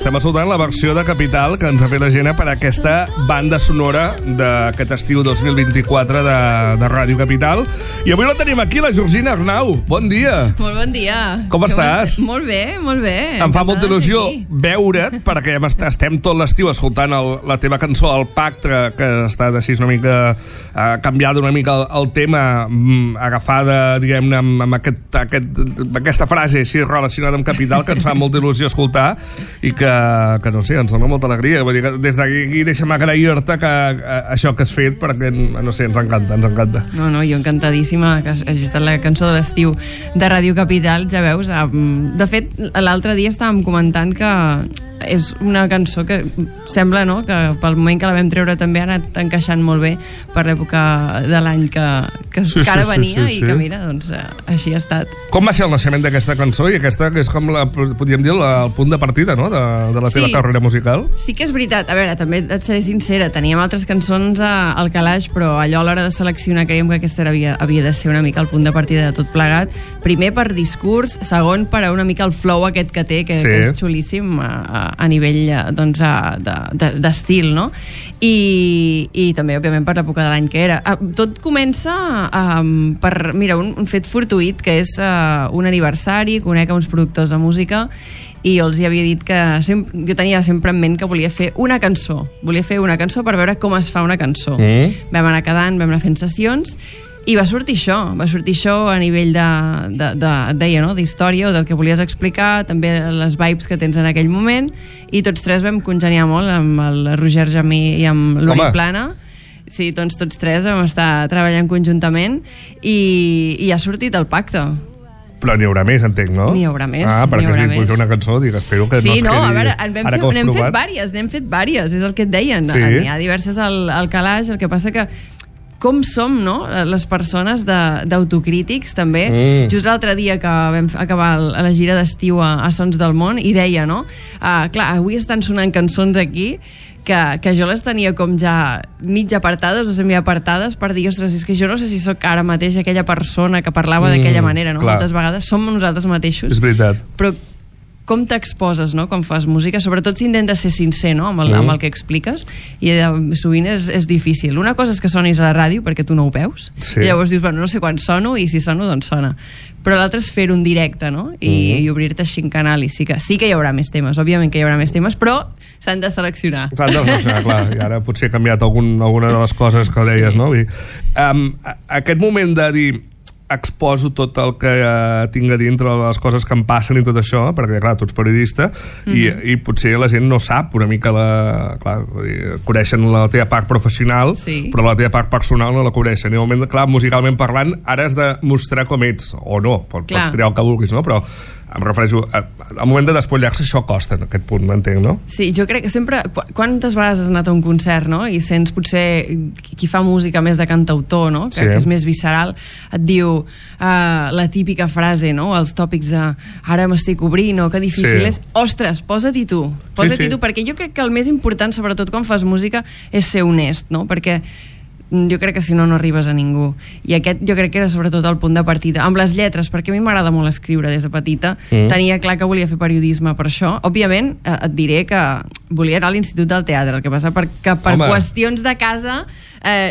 estem escoltant la versió de Capital que ens ha fet la Gena per aquesta banda sonora d'aquest estiu 2024 de Ràdio Capital. I avui la tenim aquí, la Georgina Arnau. Bon dia. Molt bon dia. Com estàs? Molt bé, molt bé. Em fa molta il·lusió veure't, perquè estem tot l'estiu escoltant la teva cançó, El Pacte, que ha estat així una mica canviada una mica el tema, agafada, diguem-ne, amb aquesta frase així relacionada amb Capital, que ens fa molta il·lusió escoltar i que no sé, ens dona molta alegria. Vull dir que des d'aquí deixa'm agrair-te això que has fet, perquè, no sé, ens encanta. No, jo encantadíssima que hagi estat la cançó de l'estiu de Ràdio Capital, ja veus. De fet, l'altre dia estàvem comentant que és una cançó que sembla, no?, que pel moment que la vam treure també ha anat encaixant molt bé per l'època de l'any que ara venia. I que mira, doncs així ha estat. Com va ser el naixement d'aquesta cançó? I aquesta que és com, podríem dir, el punt de partida, no?, de la teva carrera musical. Sí que és veritat. A veure, també et seré sincera, teníem altres cançons al calaix, però allò a l'hora de seleccionar creiem que aquesta havia de ser una mica el punt de partida de tot plegat. Primer per discurs, segon per una mica el flow aquest que té, que és xulíssim a nivell d'estil, no? I també, òbviament, per l'època de l'any que era. Tot comença per, mira, un fet fortuït, que és un aniversari, conec uns productors de música, i jo els hi havia dit que jo tenia sempre en ment que volia fer una cançó per veure com es fa una cançó. Vam anar quedant, vam anar fent sessions, i va sortir això a nivell d'història o del que volies explicar, també les vibes que tens en aquell moment, i tots tres vam congeniar molt amb el Roger Jamí i amb l'Uri Plana. Sí, doncs tots tres vam estar treballant conjuntament i ha sortit El Pacte. Però n'hi haurà més, entenc, no? N'hi haurà més. Perquè si vull fer una cançó, espero que no es quedi... a veure, n'hem fet vàries, és el que et deien. N'hi ha diverses al calaix, el que passa que com som, no?, les persones d'autocrítics, també. Just l'altre dia que vam acabar la gira d'estiu a Sons del Món, i deia, no?, clar, avui estan sonant cançons aquí que jo les tenia com ja mig apartades o semiapartades per dir, ostres, és que jo no sé si sóc ara mateix aquella persona que parlava d'aquella manera, no? Moltes vegades som nosaltres mateixos. És veritat. Però com t'exposes, no?, quan fas música, sobretot si intentes ser sincer, no?, amb el que expliques, i sovint és difícil. Una cosa és que sonis a la ràdio perquè tu no ho veus, i llavors dius, bueno, no sé quan sono, i si sono, doncs sona. Però l'altre és fer-ho en directe, no?, i obrir-te així en canal, i sí que hi haurà més temes, òbviament que hi haurà més temes, però s'han de seleccionar. Clar, i ara potser he canviat alguna de les coses que deies, no? Aquest moment de dir exposo tot el que tinc a dintre, les coses que em passen i tot això, perquè clar, tu ets periodista i potser la gent no sap una mica coneixen la teva part professional, però la teva part personal no la coneixen, i al moment, clar, musicalment parlant, ara has de mostrar com ets, o no, pots triar el que vulguis, no? Però em refereixo, al moment de despullar-se això costa, en aquest punt, m'entenc, no? Sí, jo crec que sempre, quantes vegades has anat a un concert, no?, i sents potser qui fa música més de cantautor, no?, que és més visceral, et diu la típica frase, no?, els tòpics de ara m'estic obrint, o que difícil és, ostres, posa-t'hi tu, perquè jo crec que el més important, sobretot quan fas música, és ser honest, no?, perquè jo crec que si no, no arribes a ningú. I aquest jo crec que era sobretot el punt de partida. Amb les lletres, perquè a mi m'agrada molt escriure des de petita, tenia clar que volia fer periodisme per això. Òbviament, et diré que volia anar a l'Institut del Teatre, el que passa que per qüestions de casa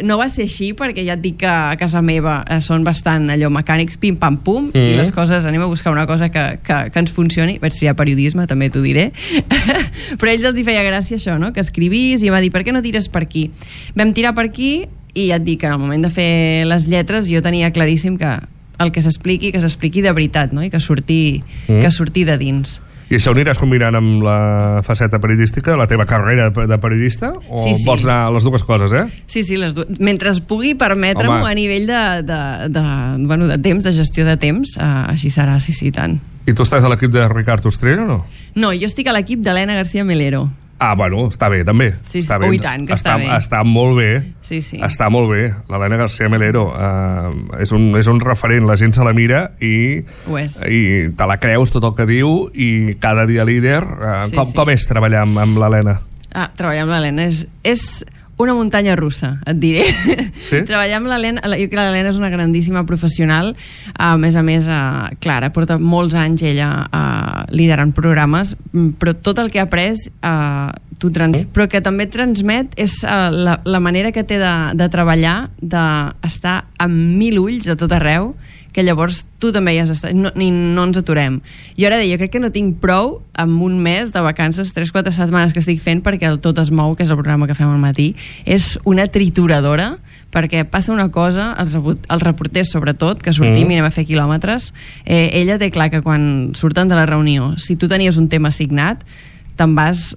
no va ser així, perquè ja et dic que a casa meva són bastant allò mecànics, pim-pam-pum, i les coses, anem a buscar una cosa que ens funcioni. Vaig triar periodisme, també t'ho diré. Però a ells els hi feia gràcia això, no?, que escrivís, i em va dir, per què no tires per aquí? Vam tirar per aquí, i ja et dic que en el moment de fer les lletres jo tenia claríssim que el que s'expliqui de veritat, no?, i que surti de dins. I això ho aniràs combinant amb la faceta periodística, la teva carrera de periodista? O vols anar a les dues coses, Sí, les dues. Mentre pugui permetre-m'ho a nivell de temps, de gestió de temps, així serà, sí, tant. I tu estàs a l'equip de Ricard Ostrell o no? No, jo estic a l'equip d'Helena García Melero. Bueno, està bé, també. Sí, i tant, que està bé. Està molt bé. Sí. Està molt bé. L'Helena García Melero és un referent, la gent se la mira i te la creus tot el que diu, i cada dia líder. Com és treballar amb l'Helena? Treballar amb l'Helena és una muntanya russa, et diré. Sí? Treballar amb l'Helena, jo crec que l'Helena és una grandíssima professional, a més, Clara, porta molts anys ella liderant programes, però tot el que ha après però que també transmet és la manera que té de treballar, d'estar amb 1000 ulls a tot arreu, que llavors tu també hi has estat, no ens aturem. Jo ara jo crec que no tinc prou amb un mes de vacances, 3-4 setmanes que estic fent, perquè el Tot es mou, que és el programa que fem al matí, és una trituradora, perquè passa una cosa, els reporters sobretot, que sortim i anem a fer quilòmetres, ella té clar que quan surten de la reunió, si tu tenies un tema assignat, te'n vas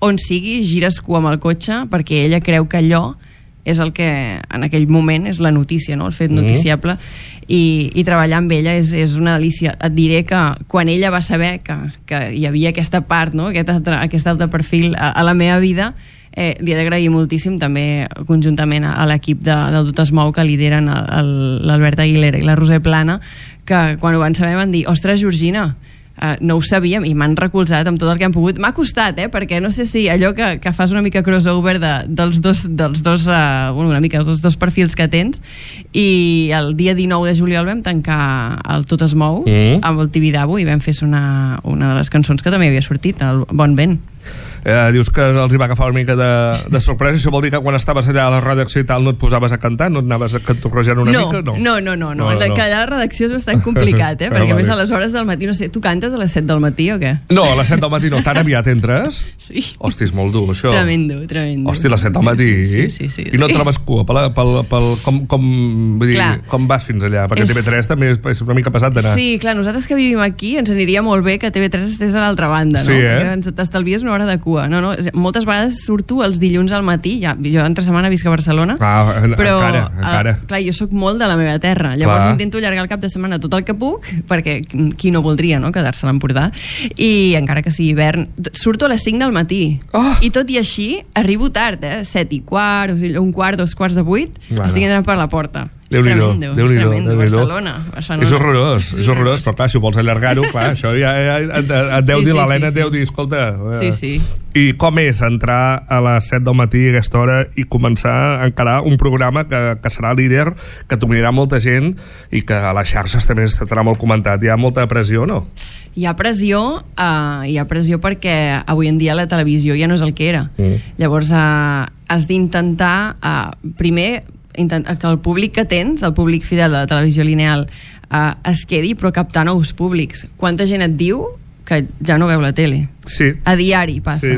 on sigui, gires cua amb el cotxe, perquè ella creu que allò és el que en aquell moment és la notícia, no? El fet noticiable, i treballar amb ella és una delícia. Et diré que quan ella va saber que hi havia aquesta part, no? aquest altre perfil a la meva vida, li he d'agrair moltíssim també conjuntament a l'equip del Tot es mou, que lideren l'Albert Aguilera i la Roser Plana, que quan ho van saber van dir, ostres, Georgina, no ho sabíem, i m'han recolzat amb tot el que han pogut. M'ha costat, perquè no sé si allò que fas una mica crossover dels dos perfils que tens, i el dia 19 de juliol vam tancar el Tot es mou amb el Tibidabo i vam fer una de les cançons que també havia sortit, el Bon Vent. Dius que els hi va agafar una mica de sorpresa. Això vol dir que quan estaves allà a la redacció i tal no et posaves a cantar, no et anaves a cantorrejar una mica? No. Que allà a la redacció és bastant complicat, perquè a més a les hores del matí, no sé, tu cantes a les 7 del matí o què? No, a les 7 del matí no, tan aviat entres? Sí. Hosti, és molt dur això. Tremendo. Hosti, a les 7 del matí? Sí. I no et trobes cua com vas fins allà? Perquè TV3 també és una mica pesat d'anar. Sí, clar, nosaltres que vivim aquí ens aniria molt bé que TV3 estés a l'altra banda, no? Sí, perquè t'estalvies una hora de cua. No, moltes vegades surto els dilluns al matí, jo entre setmana visc a Barcelona, però encara. Clar, jo sóc molt de la meva terra, llavors intento allargar el cap de setmana tot el que puc, perquè qui no voldria, no?, quedar-se a l'Empordà, i encara que sigui hivern, surto a les 5 del matí, i tot i així arribo tard, 7:15, o sigui, 1:15, 2:45, estic entrant per la porta. Déu-n'hi-do, Barcelona. És horrorós, però clar, si ho vols allargar-ho, clar, això ja et deu dir l'Helena, et deu dir, escolta... Sí. I com és entrar a les 7 del matí a aquesta hora i començar a encarar un programa que serà líder, que t'unirà molta gent i que a les xarxes també estarà molt comentat? Hi ha molta pressió, no? Hi ha pressió perquè avui en dia la televisió ja no és el que era. Llavors has d'intentar primer que el públic que tens, el públic fidel de la televisió lineal, es quedi, però captar nous públics. Quanta gent et diu que ja no veu la tele? Sí. A diari passa. Sí.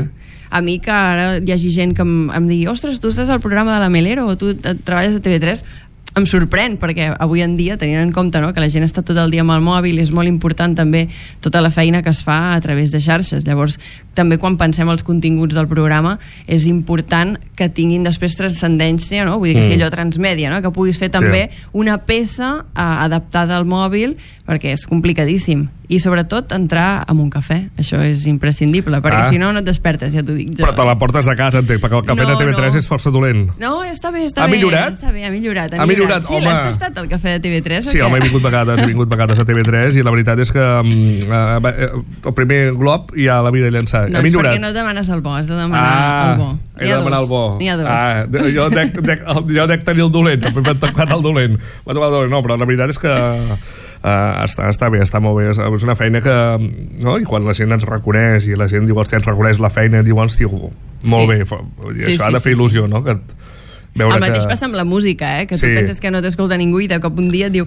A mi que ara hi hagi gent que em digui, ostres, tu estàs al programa de la Melero o tu treballes a TV3, em sorprèn, perquè avui en dia, tenint en compte, no?, que la gent està tot el dia amb el mòbil, és molt important també tota la feina que es fa a través de xarxes. Llavors, també quan pensem els continguts del programa, és important que tinguin després transcendència, no?, vull dir que sigui allò transmèdia, no?, que puguis fer també una peça adaptada al mòbil, perquè és complicadíssim. I sobretot entrar amb un cafè, això és imprescindible, perquè si no, no et despertes, ja t'ho dic jo. Però te la portes de casa, entenc, perquè el cafè de TV3 és força dolent. No, està bé. Ha millorat? Està bé, ha millorat. Sí, home. l'has tastat el cafè de TV3? Sí, home, he vingut vegades a TV3 i la veritat és que el primer glob ja l'havia de llençar. No, és perquè no demanes el bo, has de demanar el bo. He de demanar el bo. N'hi ha dos. Jo dec tenir el dolent, m'he tocat el dolent. No, però la veritat és que està bé, està molt bé, és una feina que, no? I quan la gent ens reconeix i la gent diu, hòstia, ens reconeix la feina, diu, hòstia, molt bé, això ha de fer il·lusió, no? El mateix passa amb la música, que tu penses que no t'escolta ningú i de cop un dia et diu,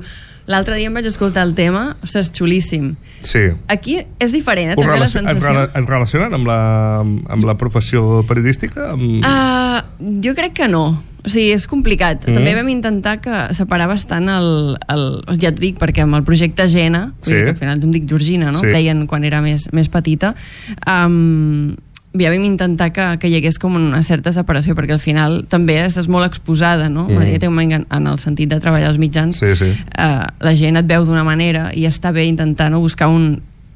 l'altre dia em vaig escoltar el tema, ostres, xulíssim. Sí. Aquí és diferent, també la sensació. Es relacionen amb la professió periodística? Jo crec que no. O sigui, és complicat. També vam intentar separar bastant ja t'ho dic, perquè amb el projecte Gena, que al final em dic Georgina, no? Deien quan era més petita, ja vam intentar que hi hagués com una certa separació, perquè al final també estàs molt exposada, no? En el sentit de treballar als mitjans, la gent et veu d'una manera i està bé intentar buscar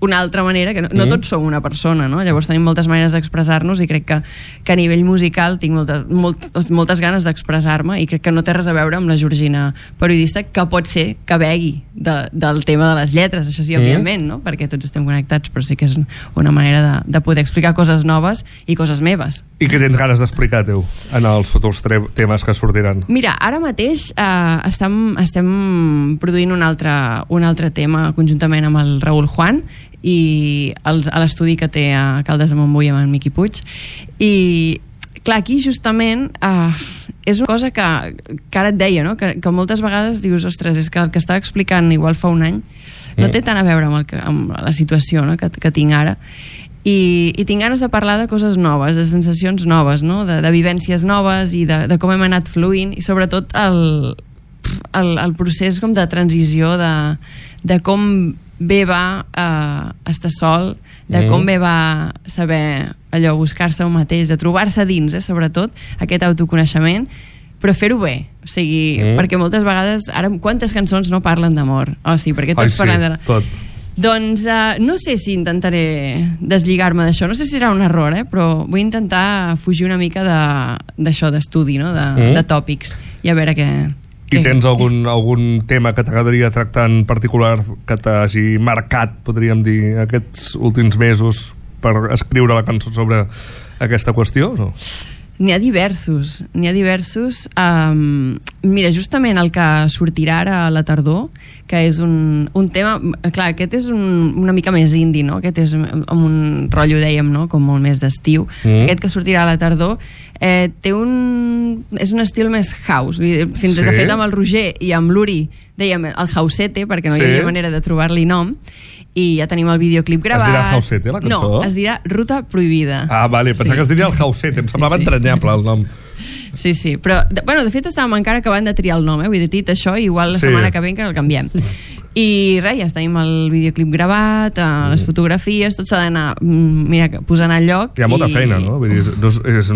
una altra manera, que no tots som una persona, no? Llavors tenim moltes maneres d'expressar-nos i crec que a nivell musical tinc moltes ganes d'expressar-me i crec que no té res a veure amb la Georgina periodista, que pot ser que begui del tema de les lletres, això sí, òbviament, no? Perquè tots estem connectats, però sí que és una manera de poder explicar coses noves i coses meves. I què tens ganes d'explicar, teu, en els futurs temes que sortiran? Mira, ara mateix estem produint un altre tema conjuntament amb el Raül Juan i a l'estudi que té a Caldes de Montbui amb en Miqui Puig, i clar, aquí justament és una cosa que ara et deia, no? que moltes vegades dius, ostres, és que el que estava explicant igual fa un any no té tant a veure amb la situació, no? que tinc ara, i tinc ganes de parlar de coses noves, de sensacions noves, no? de vivències noves i de com hem anat fluint, i sobretot el procés com de transició de com bé va estar sol, de com bé va saber allò, buscar-se un mateix, de trobar-se dins, sobretot aquest autoconeixement, però fer-ho bé, o sigui, perquè moltes vegades ara quantes cançons no parlen d'amor, perquè tots parlem de... Tot. Doncs no sé si intentaré deslligar-me d'això, no sé si serà un error, però vull intentar fugir una mica d'això, d'estudi, no? de tòpics, i a veure què... I tens algun tema que t'agradaria tractar en particular que t'hagi marcat, podríem dir, aquests últims mesos per escriure la cançó sobre aquesta qüestió? No? N'hi ha diversos. Mira, justament el que sortirà ara a la tardor, que és un tema... Clar, aquest és una mica més indie, no? Aquest és amb un rotllo, dèiem, no? Com molt més d'estiu. Aquest que sortirà a la tardor és un estil més house. De fet, amb el Roger i amb l'Uri dèiem el housete, perquè no hi havia manera de trobar-li nom, i ja tenim el videoclip gravat. Es dirà Housete, la cançó? No, es dirà Ruta Prohibida. Ah, vale, pensava que es diria el Housete, em semblava entranyable el nom. Sí, però de fet estàvem encara acabant de triar el nom, vull dir, dit això, igual la setmana que ve encara el canviem. I res, ja tenim el videoclip gravat, les fotografies, tot s'ha d'anar posant al lloc. Hi ha molta feina, no? Vull dir,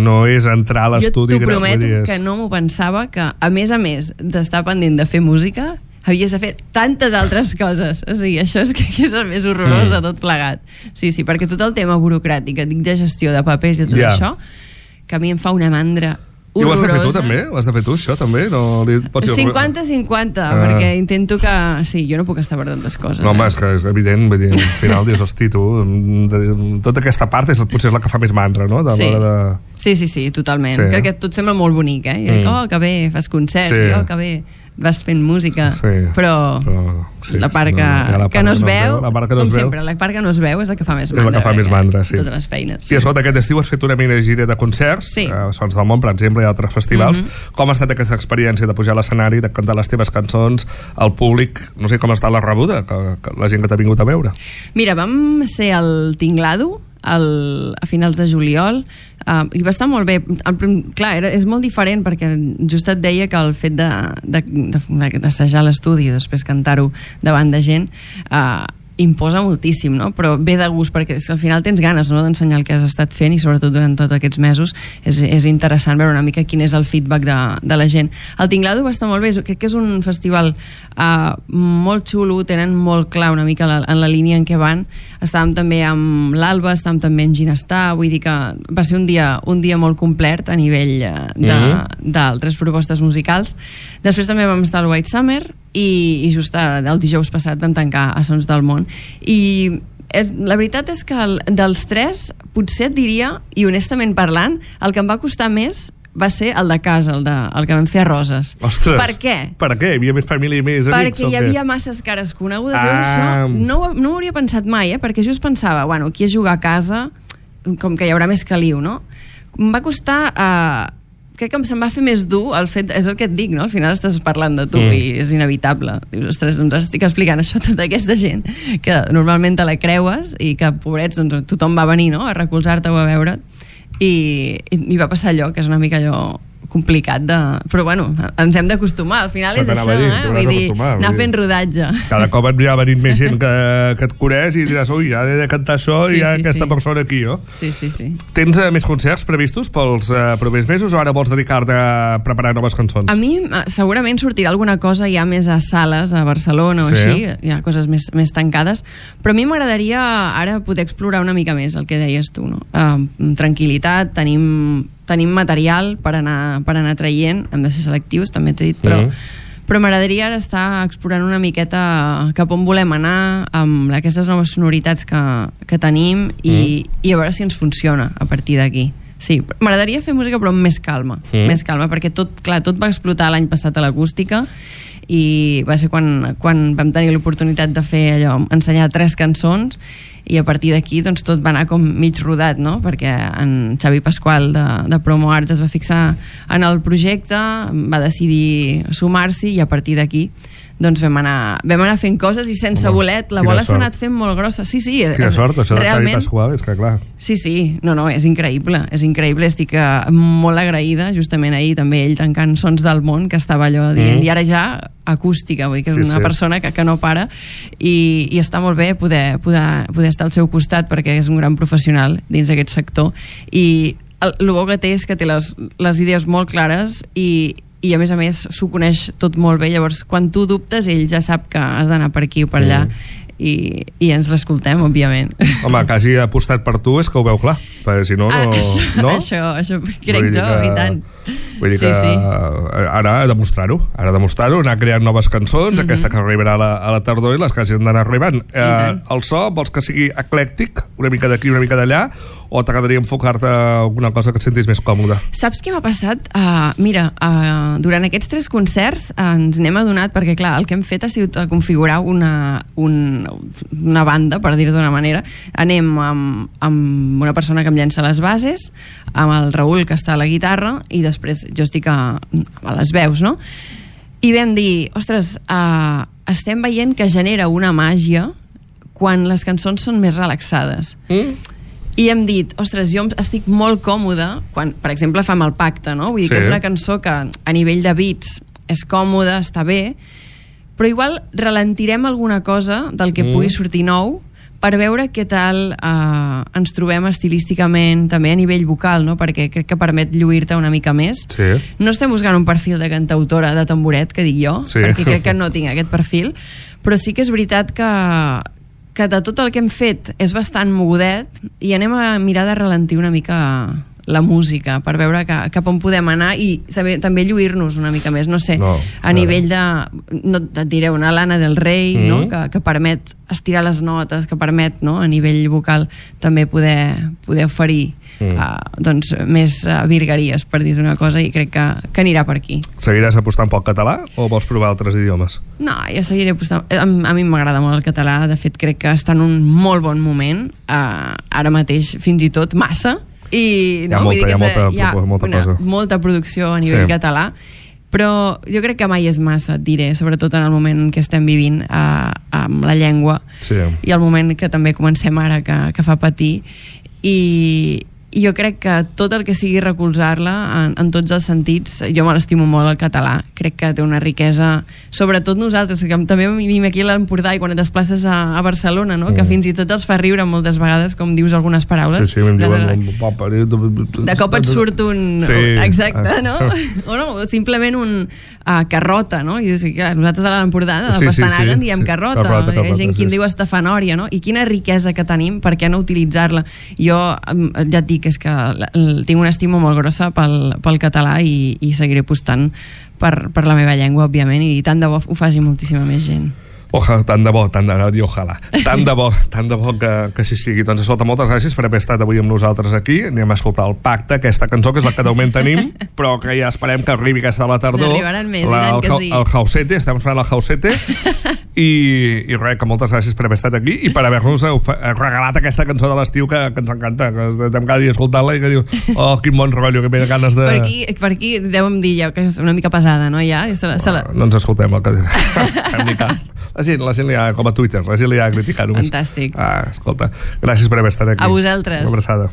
no és entrar a l'estudi... Jo t'ho prometo que no m'ho pensava, que a més d'estar pendent de fer música, havies de fer tantes altres coses. O sigui, això és el més horrorós de tot plegat. Sí, perquè tot el tema burocràtic, dic de gestió de papers i tot això, que a mi em fa una mandra horrorosa. I ho has de fer tu també? Ho has de fer tu, això, també? 50-50, perquè intento que... Sí, jo no puc estar per tantes coses. No, home, és que és evident, vull dir, al final dius, hosti, tu, tota aquesta part potser és la que fa més mandra, no? Sí, totalment. Crec que tot sembla molt bonic, I dic, que bé, fas concerts, que bé vas fent música, però la part que no es veu, com sempre, la part que no es veu és la que fa més mandra. És la que fa més mandra, sí. Totes les feines. I escolta, aquest estiu has fet una mini gira de concerts, Sons del Món, per exemple, i altres festivals. Com ha estat aquesta experiència de pujar a l'escenari, de cantar les teves cançons, al públic, no sé com està la rebuda, que la gent que t'ha vingut a veure? Mira, vam ser al Tinglado a finals de juliol, i va estar molt bé. Clar, és molt diferent, perquè just et deia que el fet d'assajar l'estudi i després cantar-ho davant de gent imposa moltíssim, no? Però ve de gust, perquè al final tens ganes, no?, d'ensenyar el que has estat fent, i sobretot durant tots aquests mesos és interessant veure una mica quin és el feedback de la gent. El Tinglado va estar molt bé, crec que és un festival molt xulo, tenen molt clar una mica en la línia en què van. Estàvem també amb l'Alba, estàvem també amb Ginestar, vull dir que va ser un dia molt complet a nivell d'altres propostes musicals. Després també vam estar al White Summer, i just el dijous passat vam tancar a Sons del Món, i la veritat és que dels tres potser et diria, i honestament parlant, el que em va costar més va ser el de casa, el que vam fer a Roses. Ostres, per què? Per què? Hi havia més família i més amics? Perquè hi havia masses cares conegudes. Això no ho hauria pensat mai, perquè just pensava, bueno, aquí a jugar a casa, com que hi haurà més caliu, no? Em va costar... crec que se'm va fer més dur el fet, és el que et dic, no? Al final estàs parlant de tu i és inevitable. Dius, ostres, doncs estic explicant això a tota aquesta gent que normalment te la creues i que, pobrets, doncs tothom va venir, no?, a recolzar-te o a veure't, i va passar allò, que és una mica allò complicat però bueno, ens hem d'acostumar, al final és això, vull dir, anar fent rodatge. Cada cop et va venint més gent que et coneix i diràs, ui, ja he de cantar això i hi ha aquesta persona aquí, no? Sí. Tens més concerts previstos pels propers mesos o ara vols dedicar-te a preparar noves cançons? A mi segurament sortirà alguna cosa ja més a sales a Barcelona o així, hi ha coses més tancades, però a mi m'agradaria ara poder explorar una mica més el que deies tu, no? Tranquil·litat, tenim material per anar traient, hem de ser selectius, també t'he dit, però m'agradaria ara estar explorant una miqueta cap on volem anar amb aquestes noves sonoritats que tenim i a veure si ens funciona a partir d'aquí. Sí, m'agradaria fer música però amb més calma, perquè tot va explotar l'any passat a l'acústica i va ser quan vam tenir l'oportunitat de fer allò, ensenyar 3 cançons i a partir d'aquí doncs tot va anar com mig rodat, no? Perquè en Xavi Pasqual de Promo Arts es va fixar en el projecte, va decidir sumar-s'hi i a partir d'aquí doncs vam anar fent coses i sense voler la bola s'ha anat fent molt grossa. Sí, quina sort, això de Xavi Pasqual, és que clar. Sí, no, és increïble, estic molt agraïda, justament ahir també ell tancant Sons del Món, que estava allò dient, i ara ja acústica, vull dir que és una persona que no para i està molt bé poder estar al seu costat perquè és un gran professional dins d'aquest sector i el bo que té és que té les idees molt clares i a més s'ho coneix tot molt bé, llavors quan tu dubtes ell ja sap que has d'anar per aquí o per allà i ens l'escoltem, òbviament. Home, que hagi apostat per tu és que ho veu clar, perquè si no... Això crec jo, i tant. Vull dir que ara ha de demostrar-ho, anar creant noves cançons, aquesta que arribarà a la tardor i les que hagin d'anar arribant. El so, vols que sigui eclèctic, una mica d'aquí, una mica d'allà, o t'agradaria enfocar-te a alguna cosa que et sentis més còmode? Saps què m'ha passat? Mira, durant aquests 3 concerts ens n'hem adonat, perquè clar, el que hem fet ha sigut configurar una banda, per dir-ho d'una manera. Anem amb una persona que em llença les bases, amb el Raül, que està a la guitarra, i després jo estic a les veus, no? I vam dir, ostres, estem veient que genera una màgia quan les cançons són més relaxades. I hem dit, ostres, jo estic molt còmode quan, per exemple, fam el Pacte, no? Vull dir que és una cançó que a nivell de beats és còmoda, està bé, però igual ralentirem alguna cosa del que pugui sortir nou per veure què tal ens trobem estilísticament, també a nivell vocal, no? Perquè crec que permet lluir-te una mica més. No estem buscant un perfil de cantautora de tamboret, que dic jo, perquè crec que no tinc aquest perfil, però sí que és veritat que de tot el que hem fet és bastant mogudet i anem a mirar de ralentir una mica la música per veure cap on podem anar i saber, també lluir-nos una mica més, no sé, a nivell de, no et diré, una Lana del Rei, no? Que permet estirar les notes, que permet, no? A nivell vocal també poder oferir doncs més virgueries, per dir una cosa, i crec que anirà per aquí. Seguiràs apostant pel català o vols provar altres idiomes? No, jo seguiré apostant. A mi m'agrada molt el català, de fet crec que està en un molt bon moment, ara mateix fins i tot massa, i hi ha molta producció a nivell català, però jo crec que mai és massa, et diré, sobretot en el moment en què estem vivint amb la llengua i el moment que també comencem ara que fa patir, i jo crec que tot el que sigui recolzar-la en tots els sentits, jo me l'estimo molt el català, crec que té una riquesa, sobretot nosaltres, que també vivim aquí a l'Empordà i quan et desplaces a Barcelona, no? Que fins i tot els fa riure moltes vegades, com dius algunes paraules. De cop et surt un... Exacte, no? O no, simplement un carrota, no? I dius, clar, nosaltres a l'Empordà, a la Pastanaga, en diem carrota. Hi ha gent que en diu estafanòria, no? I quina riquesa que tenim, per què no utilitzar-la? Jo ja et dic, és que tinc una estima molt grossa pel català i seguiré apostant per la meva llengua, òbviament, i tant de bo ho faci moltíssima més gent. Tant de bo, ojalà. Tant de bo que així sigui. Doncs escolta, moltes gràcies per haver estat avui amb nosaltres aquí. Anem a escoltar el Pacte, aquesta cançó que és la que de moment tenim, però que ja esperem que arribi aquesta a la tardor. N'arribaran més, i tant que sí. El Hausete, estem esperant el Hausete. I res, que moltes gràcies per haver estat aquí i per haver-nos regalat aquesta cançó de l'estiu que ens encanta, que estem cada dia escoltant-la i que diu, quin bon rotllo, que venen ganes de... Per aquí dèiem dir ja que és una mica pesada, no? Ja? No ens escoltem el que fem ni cas. La gent li ha, com a Twitter, la gent li ha criticat només. Fantàstic. Escolta, gràcies per haver estat aquí. A vosaltres. Una abraçada.